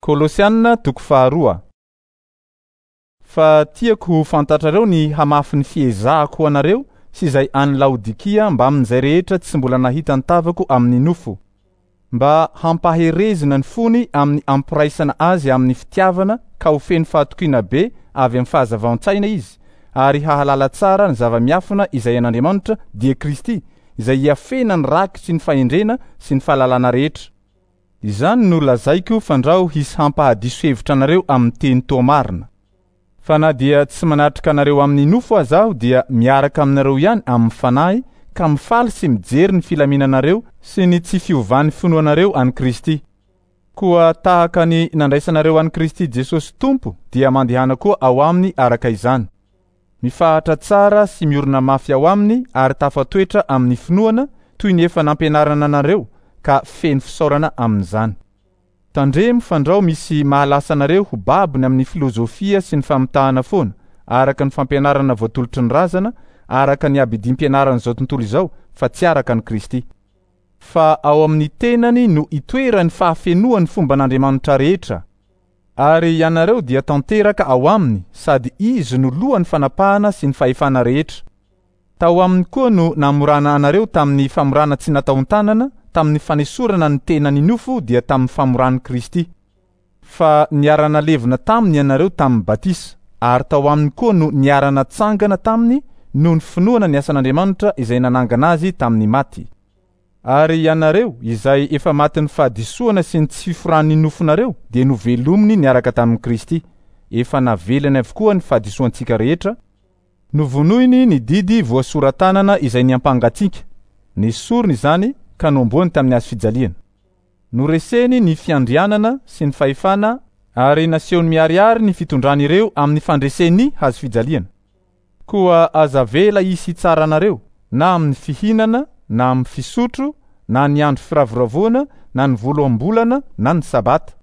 Kolosiana toko faharoa. Fa tiako ho fantatrareo ny hamafin'ny fiezahako ho anareo sy izay any Laodikia mbamin'izay rehetra tsy mbola nahita ny tavako amin'ny nofo, mba hampaherezina ny fony amin'ny ampiraisana azy amin'ny fitiavana ka ho feno fahatokiana be avy amin'ny fahazavan-tsaina izy ary hahalala tsara ny zava-miafina izay an'Andriamanitra, dia Kristy, izay iafena ny rakitry ny fahendrena sy ny fahalalana rehetra. Izany no lazaiko fandrao hisy hampahadiso hevitra anareo amin'ny teny toa marina. Fa na dia tsy manatrika anareo amin'ny nofo aza aho dia miaraka aminareo ihany amin'ny fanahy ka mifaly sy mijery ny filaminanareo sy ny tsy fiovan'ny finoanareo an'i Kristy. Koa tahaka ny nandraisanareo an'i Kristy Jesosy Tompo dia mandehana koa ao aminy araka izany. Mifahatra tsara sy miorina mafy ao aminy ary tafatoetra amin'ny finoana toy ny efa nampianarana anareo ka feno fisaorana amin'izany. Tandremo fandrao misy mahalasa anareo ho babony amin'ny filozofia sy ny famitahana foana, araka ny fampianarana voatolotry ny razana, araka ny abidim-pianaran'izao tontolo izao, fa tsy araka an'i Kristy. Fa ao amin'ny tenany no itoeran'ny fahafenoan'ny fomban'Andriamanitra rehetra. Ary ianareo dia tanteraka ao aminy, sady Izy no lohan'ny fanapahana sy ny fahefana rehetra. Tao aminy koa no namorana anareo tamin'ny famorana tsy nataon-tanana, tamin'ny fanesorana ny tenan'ny nofo dia tamin'ny famoran'i Kristy. Fa niara-nalevina taminy ianareo tamin'ny batisa, ary tao aminy koa no niara-natsangana taminy noho ny finoana ny asan'Andriamanitra izay nanangana azy tamin'ny maty. Ary ianareo izay efa matin'ny fahadisoana sy ny tsy fiforan'ny nofonareo dia novelominy niaraka tamin'i Kristy. Efa navelany avokoa ny fahadisoantsika rehetra, novonoiny ny didy voasora-tanana izay niampanga antsika, nesoriny izany ka nohomboany tamin'ny hazo fijaliana. Noreseny ny fiandrianana sy ny fahefana ary nasehony miharihary ny fitondran'ireo amin'ny fandresen'ny hazo fijaliana. Koa aza avela hisy hitsara anareo, na amin'ny fihinana, na amin'ny fisotro, na ny andro firavoravoana, na ny voaloham-bolana, na ny Sabata.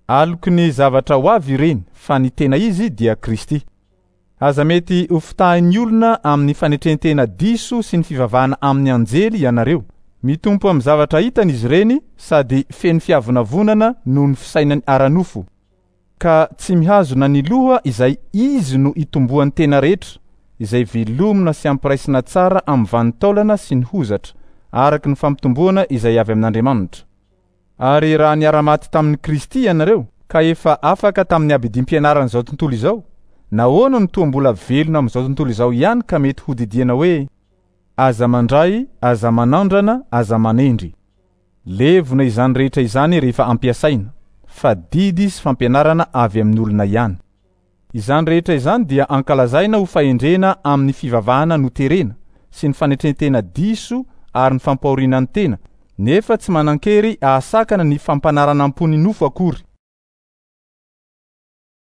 Aloky ny zavatra ho avy ireny, fa ny tena izy dia Kristy. Aza mety hofitahin'ny olona amin'ny fanetren-tena diso sy ny fivavahana amin'ny anjely ianareo. Mitompo amin'ny zavatra hitany izy ireny sady feno fiavonavonana noho ny fisainany ara-nofo, ka tsy mihazona ny loha izay izy no itomboan'ny tena rehetra, izay velomina sy ampiraisina tsara amin'ny vanin-taolana sy ny hozatra, araka ny fampitomboana izay avy amin'Andriamanitra. Ary raha niara-maty tamin'i Kristy ianareo, ka efa afaka tamin'ny abidim-pianaran'izao tontolo izao, nahoana no toa mbola velona amin'izao tontolo izao ihany ka mety hodidiana hoe, Aza mandray, aza manandrana, aza manendry? Levona izany rehetra izany rehefa ampiasaina, fa didy sy fampianarana avy amin'ny olona ihany. Izany rehetra izany dia ankalazaina ho fahendrena amin'ny fivavahana noterena sy ny fanetren-tena diso ary ny fampahoriana ny tena, nefa tsy manan-kery hahasakana ny fampanaranam-po ny nofo akory.